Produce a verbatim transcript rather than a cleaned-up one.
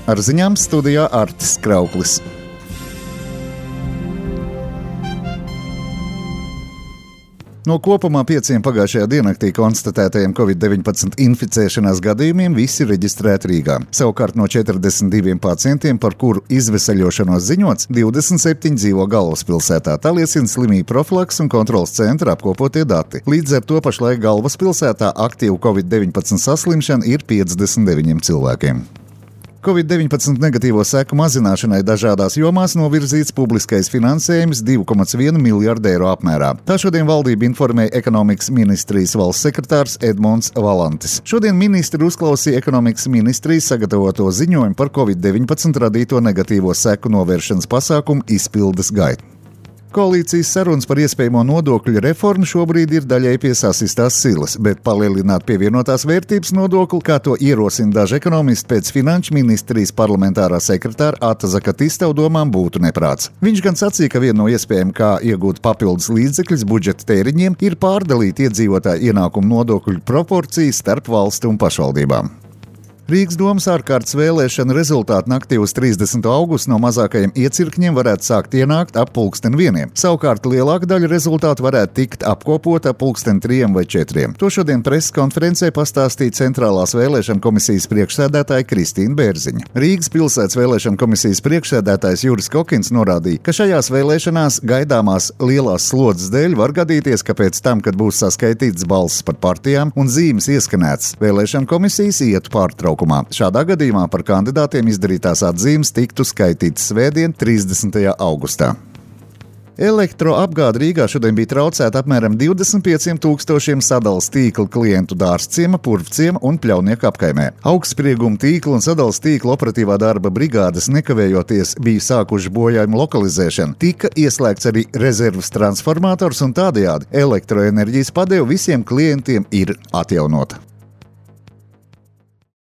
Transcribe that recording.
Ar ziņām studijā Artis Krauklis. No kopumā pieciem pagājušajā diennaktī konstatētajiem covid deviņpadsmit inficēšanās gadījumiem visi reģistrēti Rīgā. Savukārt no četrdesmit diviem pacientiem, par kuru izveseļošanos ziņots, divdesmit septiņi dzīvo Galvaspilsētā. Tā liecina slimību profilakses un kontroles centra apkopotie dati. Līdz ar to pašlaik Galvaspilsētā aktīvu covid deviņpadsmit saslimšana ir piecdesmit deviņiem cilvēkiem. covid deviņpadsmit negatīvo seku mazināšanai dažādās jomās novirzīts publiskais finansējums divi komats viens miljardu eiro apmērā. Tā šodien valdība informēja ekonomikas ministrijas valsts sekretārs Edmunds Valantis. Šodien ministri uzklausīja ekonomikas ministrijas sagatavoto ziņojumu par covid deviņpadsmit radīto negatīvo seku novēršanas pasākumu izpildes gaitu. Koalīcijas sarunas par iespējamo nodokļu reformu šobrīd ir daļai pie sasistās silas, bet palielināt pievienotās vērtības nodokli, kā to ierosina daži ekonomisti pēc finanšu ministrijas parlamentārā sekretāra Ata Zakatista domām būtu neprāts. Viņš gan sacīja, ka viena no iespējām, kā iegūt papildus līdzekļus budžeta tēriņiem, ir pārdalīt iedzīvotāju ienākumu nodokļu proporcijas starp valsti un pašvaldībām. Rīgas domas ārkārtas vēlēšana rezultāti naktī uz trīsdesmito augustu no mazākajiem iecirkņiem varētu sākt ienākt ap pulksten vieniem. Savukārt lielāka daļa rezultātu varētu tikt apkopota ap pulksten trijiem vai četriem. To šodien preses konferencē pastāstīja Centrālās vēlēšana komisijas priekšsēdētāja Kristīna Bērziņa. Rīgas pilsētas vēlēšana komisijas priekšsēdētājs Juris Kokins norādīja, ka šajās vēlēšanās gaidāmās lielās slodzes dēļ var gadīties, ka pēc tam, kad būs saskaitītas balsis par partijām un zīmes ieskanētas, vēlēšana komisijas ietu pārtraukumā. Šādā gadījumā par kandidātiem izdarītās atzīmes tiktu skaitītas svētdien, trīsdesmitajā augustā. Elektroapgāde Rīgā šodien bija traucēta apmēram divdesmit pieciem tūkstošiem sadales tīkla klientu Dārzciema, Purvciema un Pļaunieku apkaimē. Augstsprieguma tīkla un sadales tīkla operatīvā darba brigādes nekavējoties bija sākuši bojājumu lokalizēšanu. Tika ieslēgts arī rezervas transformators un tādējādi elektroenerģijas padeve visiem klientiem ir atjaunota.